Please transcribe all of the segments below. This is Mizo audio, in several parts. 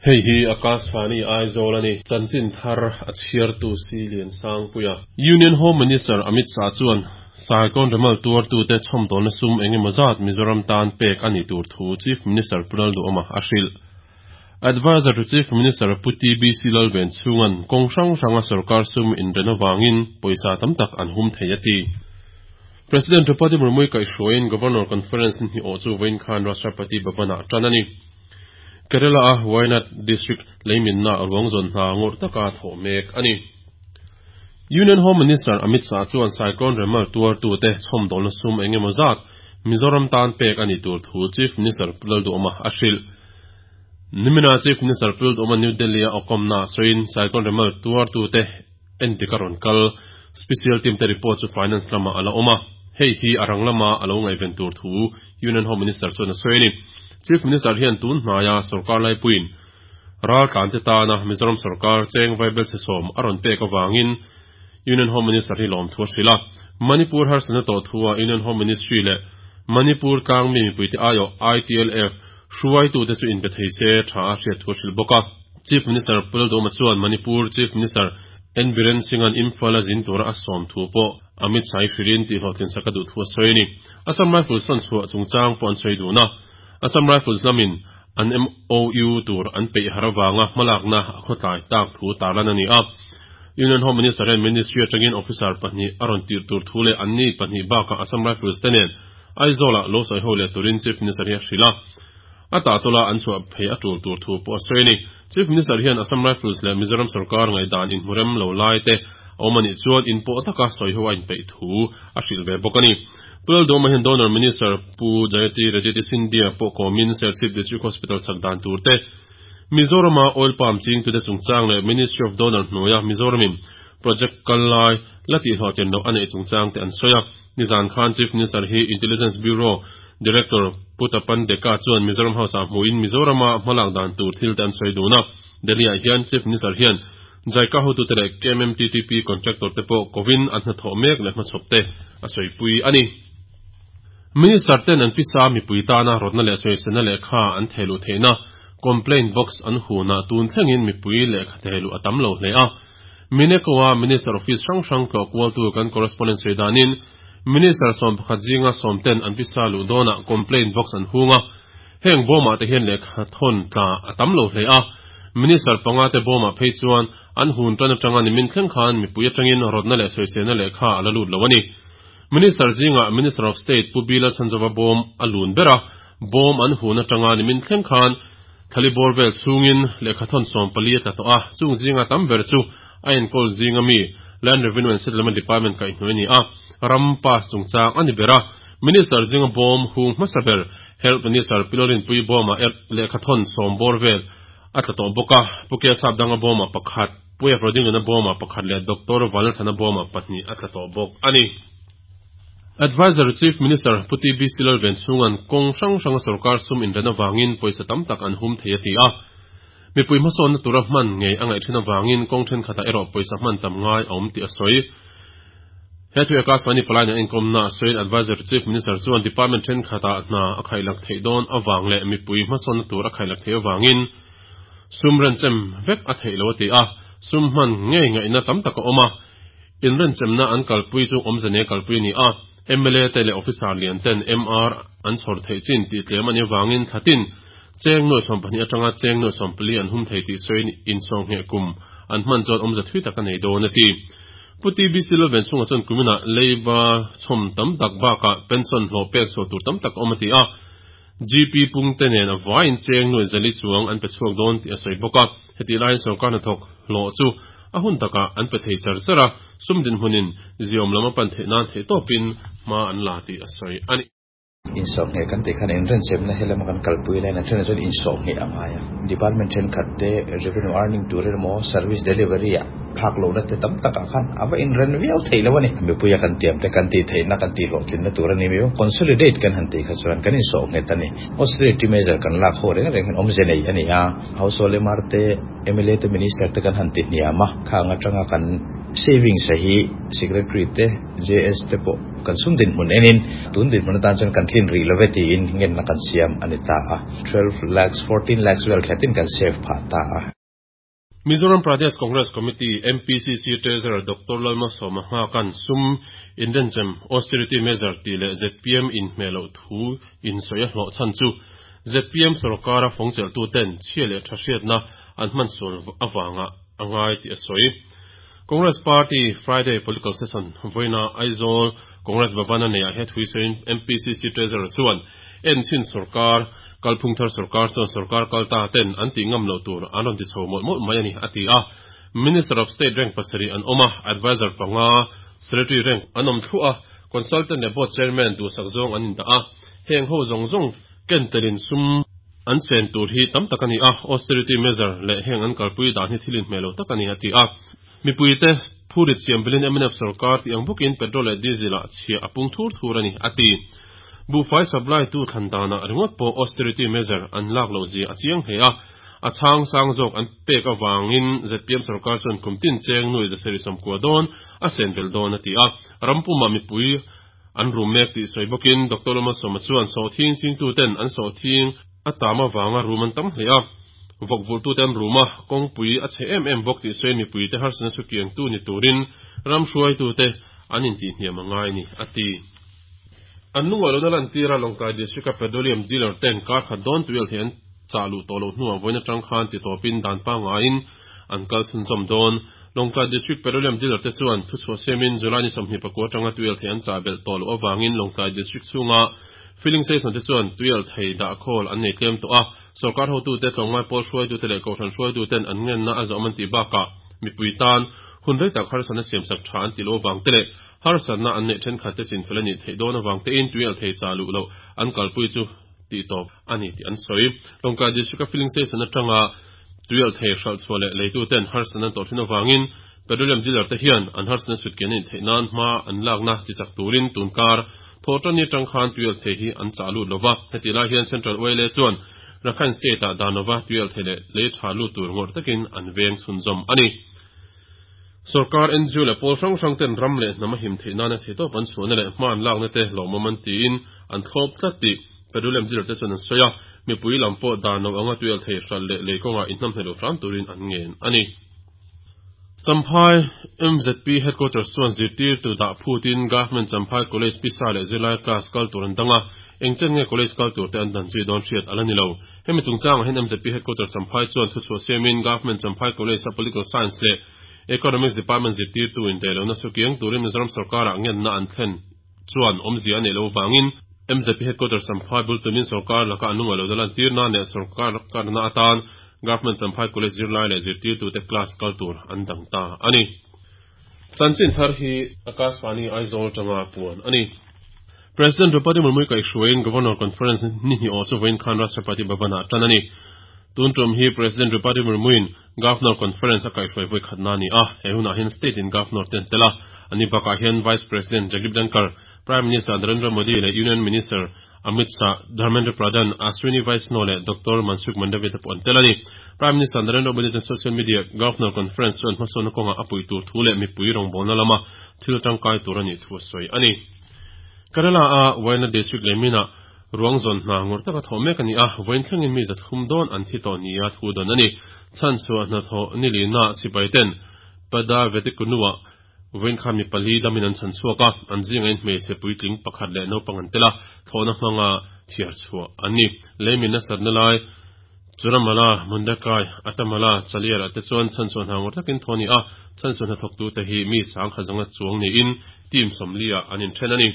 Hei hi Akashvani Aizawl a ni. Chanchin thar a chhiartu Si Liansangpuia. Union Home Minister Amit Shah chuan Cyclone Remal tuartute chhawmdawlna sum engemaw zat Mizoram tan pek a nih tur thu Chief Minister Pu Lalduhawma a hrilh. Adviser to Chief Minister Pu TBC Lalvenchhunga'n kawng hrang hranga sorkar sum inren avangin pawisa tam tak an hum thei a ti. President Draupadi Murmu-i kaihhruaiin Governor Conference ni hnih awh chu vawiin khan Rashtrapati Bhavan-ah tan a ni. Kerala-a Wayanad District leiminna ruang zawn hna ngawrh taka thawh mek a ni. Union Home Minister Amit Shah chuan Cyclone Remal tuartute chhawmdawlna sum engemaw zat Mizoram tan pek a nih tur thu Chief Minister Pu Lalduhawma a hrilh. Nimina Chief Minister Pu Lalduhawma New Delhi-a awkawmna sawiin Cyclone Remal tuartute endik a rawn kal. Special team te report chu Finance lamah a la awm a, hei hi a rang lama a lo ngaihven tur thu Union Home Minister chuan a sawi a ni. Chief Minister hian tun hnaia sorkar laipuiin raltlante tana Mizoram sorkar cheng vaibelchhe sawm a rawn pek avangin Union Home Minister hi lawmthu a hrilh a. Manipur harsatna tawh thua Union Home Ministry leh Manipur tlangmi mipuite aiawh ITLF hruaitute chu inpe thei se tha a hriat thu a hrilh bawk a. Chief Minister Pu Lalduhoma chuan Manipur Chief Minister N Biren Singh-a'n Imphal a zin tura a sawm thu pawh Amit Shah-i hrilhin tihhlawhtlin sak a duh thu a sawi a ni. Assam Rifles sawn chhuah chungchang pawh an sawi dun a, Assam Rifles lamin an MOU tur an peih har avanga hmalakna a khawtlai tak thu tarlan a ni a. Union Home Minister hian Ministry atangin officer pahnih a rawn tirh tur thu leh anni pahnih bakah Assam Rifles te nen Aizawl-ah lo sawi ho leh turin Chief Minister hi a hrilh a. A tahtawla an chhuah phei a tul tur thu pawh a sawi a ni. Chief Minister hian Assam Rifles leh Mizoram sorkar ngaihdan inhmurem lo lai te a awm a nih chuan inpawh taka sawi ho a inpeih thu a hrilh ve bawk a ni. Pu Lalduhawma hian Donor Minister Pu Jayati Rajyati Scindia pawh kawmin Serchhip District Hospital sak dan tur te, Mizorama Oil Palm chingtute chungchang leh Ministry of Donor hnuaia Mizoramin project kal lai la tihhlawhtlin loh a neih chungchang te an sawi a. Nizan khan Chief Minister hi Intelligence Bureau Director Pu Tapan Deka chuan Mizoram House-ah hmuhin Mizorama hmalak dan tur thil te an sawi dun a. Delhi-ah hian Chief Minister hian JICA hotute leh KMMTTP contractor te pawh kovin an hnathawh mek leh hmachhawp te a sawipui a ni. Minister ten an pisa mipui tana rawtna leh sawiselna lehkha an thehluh theihna complaint box an hunah tun thlengin mipui lehkha thehluh a tam lo hle a. Mineko-a Minister Office hrang hrang tlawh kualtu kan correspondent sawi danin, Minister 11 zinga sawm ten an pisa luh dawnah complaint box an hung a, heng bawmah te hian lehkha thawn tla a tam lo hle a, Minister panga te bawmah phei chuan an hun tan atanga nimin thleng khan mipui atangin rawtna leh sawiselna lehkha a la lut lo a ni. Minister zingah Minister of State Pu Bila Chhanzova bawm a lun ber a, bawm an hun atanga nimin thleng khan Thali bawr vel chhungin lehkha thawn 14 a tla tawh a, chung zinga tam ber chu a enkawl zinga mi Land Revenue and Settlement Department kaihhnuai a ni a, ram pass chungchang a ni ber a. Minister zinga bawm hung hmasa ber Health Minister Pi Lalrinpuii bawmah er lehkha thawn sawm bawr vel a tla tawh bawk a, Pu Kia Sapdanga bawmah pakhat, Pu Efrodinglana bawmah pakhat leh Doctor Vanlalthana bawmah pahnih a tla tawh bawk a ni. Adviser Chief Minister Pu TBC Lalvenchhunga'n kawng hrang hranga sorkar sum inren avangin pawisa tam tak an hum thei a ti a. Mipui hmasawnna tura hman ngei a ngaih thin avangin kawng thenkhatah erawh pawisa hman tam ngai a awm tih a sawi. He thu eka Sani Palain an inkawmna a sawiin Adviser Chief Minister chuan Department thenkhatah hna a khaihlak theih dawn avang leh mipui hmasawnna tur a khaihlak theih avangin sum renchem vek a theih lo a ti a. Sum hman ngei ngaihna tam tak a awm a. Inrenchemna an kalpui chu awmze nei kalpui a ni a, mla te leh officer lian ten MR an chhawr theih chin tih tlem a nih avangin thlatin cheng nuai 12 atanga cheng nuai 14 an hum thei tih sawiin insawngheh kum an hman chuan awmze thui tak a nei dawn a ti. Pu TBC Lalvenchhunga chuan kuminah leiba chhawm tam tak bakah pension hlawh pek chhuah tur tam tak a awm a ti a, GP pungte nen a vaiin cheng nuai zali chuang an pe chhuak dawn tih a sawi bawk a, hetih laiin sorkar hnathawk hlawh chu a hun takah an pe thei char char a, sum dinhmunin ziawm lam a pan theih nan theihtawpin hma an la tih a sawi a ni. Insawhngheh kan tih khan inrenchemna he lama kan kalpui laiin an thenah chuan insawhngheh a ngai a, department thenkhat te revenue earning tur emaw service delivery ah phak lohna te tam takah khan a va inren viau theih lo a ni. Mipuia kan tiam te kan tih theihna kan tih hlawhtlinna tur a ni miau. Consolidate kan han tih kha chuan kan insawhngheh a ni. Austerity measure kan lak ho reng reng hian awmze nei a ni a. Household MR te, mla te, Minister te kan han ti hniam a, khang atanga kan Savings a hi Secretary te, JS te pawh kan sum dinhmun enin tun dinhmun atan chuan kan tlin rih love tiin ngenna kan siam a ni ta a. 12 lakhs, 14 lakhs vel khatin kan save phah ta a. Mizoram Pradesh Congress Committee, MPCC, Treasurer Doctor Lalmalsawma Nghaka'n sum inrenchem, austerity measure, tih leh zpm inhmeh loh thu insawi a hlawh chhan chu zpm sorkara fawngchelhtuten chhia leh tha hriatna an hmansual avanga a ngai tih a sawi. Congress Party Friday Political Session vawiina Aizawl Congress Bhavan a neiah he thui sawiin MPCC Treasurer chuan enchhin sorkar, kalphung thar sorkar chuan sorkar kal ta ten an tih ngam loh tur an rawn ti chho mawlh mawlh mai a ni a ti a. Minister of State rank pasarih an awm a, Adviser panga, Secretary rank an awm thluah a, Consultant leh Board Chairman duhsak zawng an indah a, heng ho zawng zawng ken telin sum an sen tur hi tam tak a ni a, austerity measure leh heng an kalpui dan hi thil inhmeh lo tak a ni a ti a. Mipuite phurit siam belin mnf sorkar tih ang bawkin petrol leh diesel ah chhia a pung thur thur a ni a ti. Buhfai supply tu thlan danah ringawt pawh austerity measure an lak loh zia a chiang hle a, a chhang sang zawk an pek avangin zpm sorkar chuan kum tin cheng nuai zasarih sawmkua dawn a sen belh dawn a ti a. Ram pumah mipui an rum mek tih sawi bawkin Doctor Lawmasawma chuan sawhthing chingtuten an sawhthing a tam avanga rum an tam hle a, vawk vulhtute an rum a, kawngpui a chhe em em bawk tih sawiin mipuite harsatna chu kiangtu ni turin ram hruaitute an intihhniam a ngai a ni, a ti. An lungaih lohna lantira Lawngtlai District-a petroleum dealer ten kar khat dawn tuial thei an chah luh tawh loh hnuah vawiin atang khan titawpin dan pangaiin an kal chhunzawm dawn. Lawngtlai District Petroleum Dealer te chuan thuchhuah siamin July ni 24 atanga tuial thei an chah belh tawh loh avangin Lawngtlai District chhunga Filling station te chuan tuial thei dah khawl an nei tlem tawh a, sorkar hotute, tlawmngai pawl hruaitute leh kohhran hruaituten an ngenna a zawm an tih bakah mipui tan hun rei tak harsatna siamsak tha an tih loh avang te leh harsatna an neih thenkhat te chinfel a nih theih dawn avang tein tuial thei chah luh loh an kalpui chu tih tawp a ni tih an sawi. Lawngtlai District-a filling station atanga tuial thei hralh chhuah leh leituten harsatna an tawh thin avangin Petroleum dealer te hian an harsatna chhut kian a nih theih nan hma an lakna tichak turin tunkar Thawhṭanni aṭang khan tuialthei hi an chah lut lova, hetih lai hian Central YLA chuan Rakhine State-ah dan lova tuialthei leh lei ṭha lut tur ngawrh takin an veng chhunzawm a ni. Sorkar, NGO leh pawl hrang hrang ten ram leh hnam a him theih nana theihtawp an chhuahna leh hma an lakna te lawmawm an tiin an thlawp tlat tih Petroleum dealer te chuan an sawi a, mipui lam pawh dan lo anga tuialthei hralh leh lei kawngah inhnamhneh lo hram turin an ngen a ni. Champhai mzp Headquarters chuan zirtirtu dah phutin Government Champhai College pisa leh zirlai class kal tur an dang a, eng chen nge college kal tur te an dan zui dawn hriat a la ni lo. Hemi chungchangah hian mzp Headquarters Champhai chuan thuchhuah siamin Government Champhai College a Political Science leh Economics Department zirtirtu indaihlohna chu kiang turin Mizoram sorkarah ngenna an thlen chuan awmzia a neih loh avangin mzp Headquarters Champhai bul tumin sorkar laka an lungaih lohna lantir nan leh sorkar karna atan Government Champhai College zirlai leh zirtirtute class kal tur an dang ta a ni. Chanchin thar hi Akashvani Aizawl atanga puan a ni. President Draupadi Murmu kaihhruaiin Governor Conference ni hnih awh chu vawiin khan Rashtrapati Bhavan-ah tan a ni. Tun tum hi President Draupadi Murmu-in Governor Conference a kaihhruai vawi khatna a ni a, he hunah hian State in Governor te an tel a, ani bakah hian Vice President Jagdeep Dhankhar, Prime Minister Narendra Modi leh Union Minister Amit Shah, Dharmendra Pradhan, Ashwini Vaishnaw leh Doctor Mansukh Mandaviya te pawh an tel a ni. Prime Minister Narendra Modi chuan social media Governor Conference chuan hmasawnna kawngah a puih tur thu leh mipui rawngbawlna lama thil tangkai tur a nih thu a sawi a ni. Kerala-a Wayanad District leh Mina ruang zawn hna ngawrh taka thawh mek a ni a, vawiin thlengin mi zathum dawn an thi tawh nia thu dawn a ni. Chhanchhuah hnathawh ni lina sipai ten Pada Vetikunua Vawiin khan mi pali damin an chhan chhuak a, an zingah in hmeichhe puitling pakhat leh naupang an tel a, thlawhna hmanga thiar chhuah an ni. Leimin nasatna lai Churamala, Mundakai, Atamala, Chaliar ah te chuan chhanchhuah hna ngawr takin thaw a ni a, chhanchhuah hnathawktute hi mi sangha zanga chuang niin team 40 ah an inthen a ni.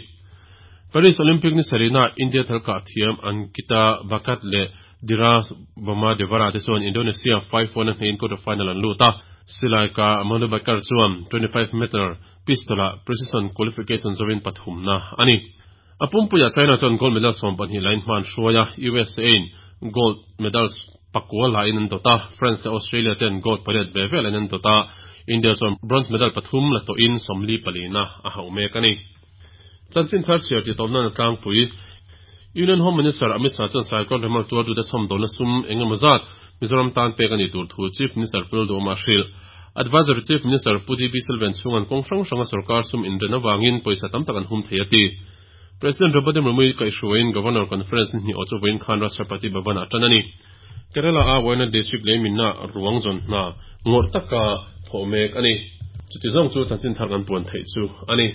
Paris Olympic ni sarihna India thalkah thiam Ankita Bhakat leh Dheeraj Bommadevara te chuan Indonesia 5-1 a hnehin quarter final an lut a, Silai ka Manu Bhaker chuan 25 meter pistol ah precision qualification zawin pathumna a ni. A pumpuiah China chuan gold medal 12 lain hma an hruai a, USA in gold medal pakua lain an dawt a, France leh Australia ten gold pariat ve ve lain an dawt a, India chuan bronze medal pathum la tawhin 44 na a hauh mek a ni. Chanchin thar chhiar tih tawp nan a tlangpui. Union Home Minister Amit Shah chuan Cyclone Remal tuartute chhawmdawlna sum eng emaw zat Mizoram tan pek a nih tur thu Chief Minister Pul Duhawma a hrilh. Adviser Chief Minister Pu DB Selvenchhunga'n kawng hrang hranga sorkar sum inren avangin pawisa tam tak an hum thei a ti. President Draupadi Murmu-i kaihhruaiin Governor Conference ni hnih awh chu vawiin khan Rashtrapati Bhavan-ah a tan a ni. Kerala-a Wayanad District lei minna ruang zawn hna ngawrh taka thawh mek a ni. Chuti zawng chu chanchin thar kan puan theih chu a ni.